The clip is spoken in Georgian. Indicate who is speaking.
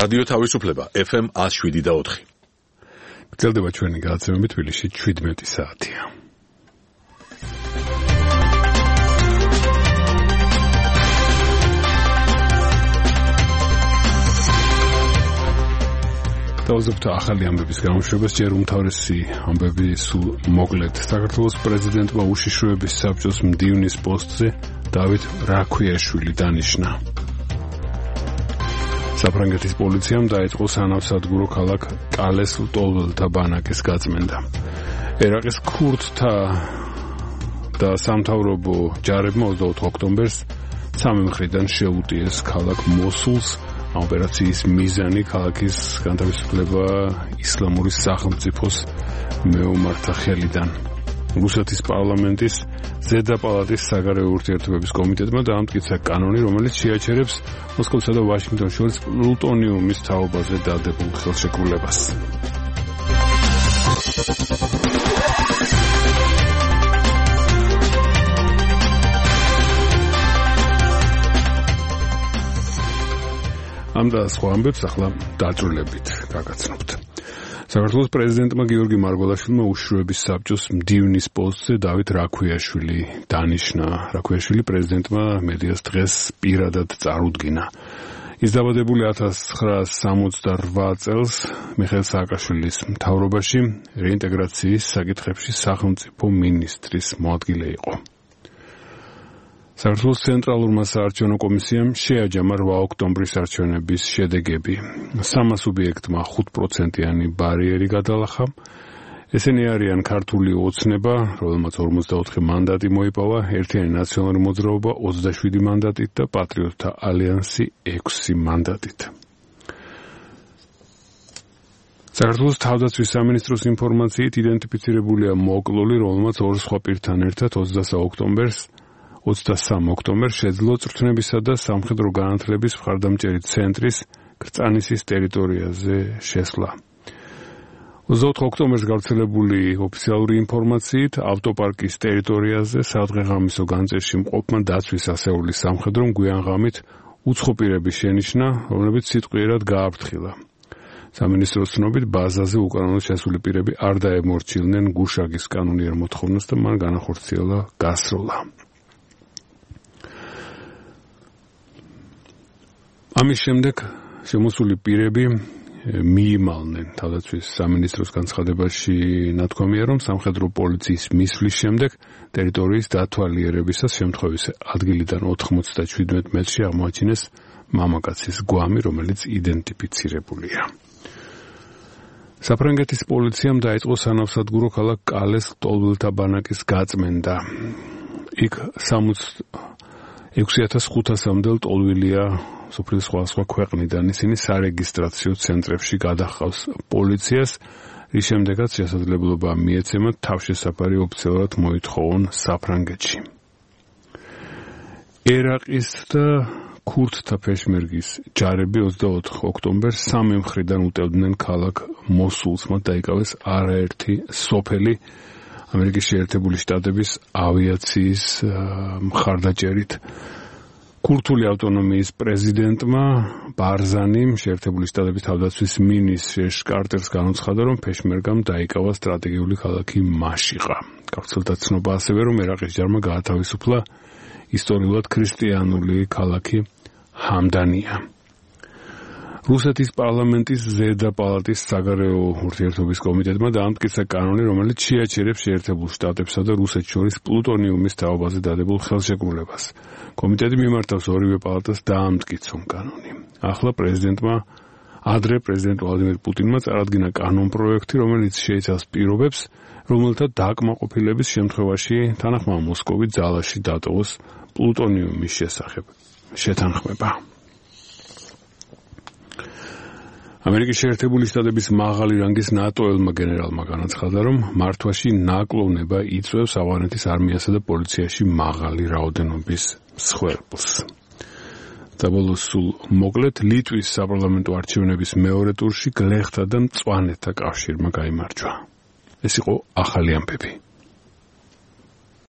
Speaker 1: რადიო თავისუფლება FM 107.4.
Speaker 2: გრძელდება ჩვენი გადაცემები თბილისში 17 საათია. დავზრდით ახალი ამბების გამოშვებას, ჯერ უმთავრესი ამბები სულ მოკლედ. საქართველოს პრეზიდენტმა უშიშროების საბჭოს მდივნის პოსტზე დავით რაქვიაშვილი დანიშნა. საფრანგეთის პოლიციამ დაიწყო სანავსადგურო ქალაქ კალეს ლტოლველთა ბანაკის გაწმენდა. ერაყის ქურდთა და სამთავრობო ჯარებმა 24 ოქტომბერს სამი მხრიდან შეუტიეს ქალაქ მოსულს. ოპერაციის მიზანი ქალაქის განთავისუფლება ისლამური სახელმწიფოს მეომართა ხელიდან. რუსეთის პარლამენტის ზედა პალატის საგარეო ურთიერთობების კომიტეტმა დაამტკიცა კანონი, რომელიც შეაჩერებს მოსკოვსა და ვაშინგტონს შორის პლუტონიუმის თაობაზე დადებულ ხელშეკრულებას. ამ და სხვა ამბებს ახლა დაწვრილებით გაგაცნობთ. საქართველოს პრეზიდენტმა გიორგი მარგველაშვილმა უშიშროების საბჭოს მდივნის პოსტზე დავით რაქვიაშვილი დანიშნა. რაქვიაშვილი პრეზიდენტმა მედიას დღეს პირადად წარუდგინა. ის დაბადებული 1968 წელს მიხეილ სააკაშვილის მთავრობაში რეინტეგრაციის საკითხებში სახელმწიფო მინისტრის მოადგილე იყო. საქართველოს ცენტრალურმა საარჩევნო კომისიამ შეაჯამა 8 ოქტომბრის არჩევნების შედეგები. 3 სუბიექტმა 5%-იანი ბარიერი გადალახა. ესენი არიან ქართული ოცნება, რომელმაც 54 მანდატი მოიპოვა, ერთიანი ნაციონალური მოძრაობა 27 მანდატით და პატრიოტთა ალიანსი 6 მანდატით. საქართველოს თავდაცვის სამინისტროს ინფორმაციით იდენტიფიცირებულია მოკლული, რომელმაც ორ სხვა პირთან ერთად 23 ოქტომბერს შეძლო წვრთნებისა და სამხედრო განათლების მხარდამჭერი ცენტრის კრწანისის ტერიტორიაზე შესვლა. 24 ოქტომბერს გავრცელებული ოფიციალური ინფორმაციით ავტოპარკის ტერიტორიაზე სადღეღამისო განწერში მყოფმა დაცვის ასეულის სამხედრომ გვიანღამით უცხო პირები შენიშნა, რომლებიც სიტყვიერად გააფრთხილა. სამინისტროს ცნობით ბაზაზე უკანონოდ შესული პირები არ დაემორჩილნენ გუშაგის კანონიერ მოთხოვნას და მან განახორციელა გასროლა. ამის შემდეგ შემოსული პირები მიიმალნენ. თავდაცვის სამინისტროს განცხადებაში ნათქვამია, რომ სამხედრო პოლიციის მისვლის შემდეგ ტერიტორიის დათვალიერებისას შემთხვევის ადგილიდან 97 მეტრში აღმოაჩინეს მამაკაცის გვამი, რომელიც იდენტიფიცირებულია. საფრანგეთის პოლიციამ დაიწყო სანავსადგურო ქალაქ კალეს ლტოლველთა ბანაკის გაწმენდა. იქ 66,500-მდე ლტოლვილია სოფლის სხვა ქვეყნიდან. ისინი სარეგისტრაციო ცენტრებში გადაჰყავს პოლიციას, რის შემდეგაც შესაძლებლობა მიეცემათ თავშესაფარი ოფიციალურად მოითხოვონ საფრანგეთში. ერაყის და ქურდთა პეშმერგის ჯარები 24 ოქტომბერს სამი მხრიდან უტევდნენ ქალაქ მოსულს. მათ დაიკავეს არაერთი სოფელი ამერიკის შეერთებული შტატების ავიაციის მხარდაჭერით. ქურთული ავტონომიის პრეზიდენტმა ბარზანიმ შეერთებული შტატების თავდაცვის მინისტრ კარტერს განუცხადა, რომ პეშმერგამ დაიკავა სტრატეგიული ქალაქი მაშიყა. გავრცელდა ცნობა ასევე, რომ ერაყის ჯარმა გაათავისუფლა ისტორიულად ქრისტიანული ქალაქი ჰამდანია. რუსეთის პარლამენტის ზედა პალატის საგარეო ურთიერთობის კომიტეტმა დაამტკიცა კანონი, რომელიც შეაჩერებს შეერთებულ შტატებსა და რუსეთს შორის პლუტონიუმის თაობაზე დადებულ ხელშეკრულებას. კომიტეტი მიმართავს ორივე პალატას დაამტკიცონ კანონი. ახლა ადრე პრეზიდენტ ვლადიმერ პუტინმა წარადგინა კანონპროექტი, რომელიც შეიცავს პირობებს, რომელთა დაკმაყოფილების შემთხვევაში თანახმაო მოსკოვი ძალაში დატოვოს პლუტონიუმის შესახებ შეთანხმება. ამერიკის შეერთებული შტატების მაღალი რანგის ნატო-ელმა გენერალმა განაცხადა, რომ მართვაში ნაკლოვნება იწვევს ავღანეთის არმიასა და პოლიციაში მაღალი რაოდენობის მსხვერპლს. საბოლოოს სულ მოკლედ ლიტვის საპარლამენტო არჩევნების მეორე ტურში გლეხთა და მწვანეთა კავშირმა გაიმარჯვა. ეს იყო ახალი ამბები.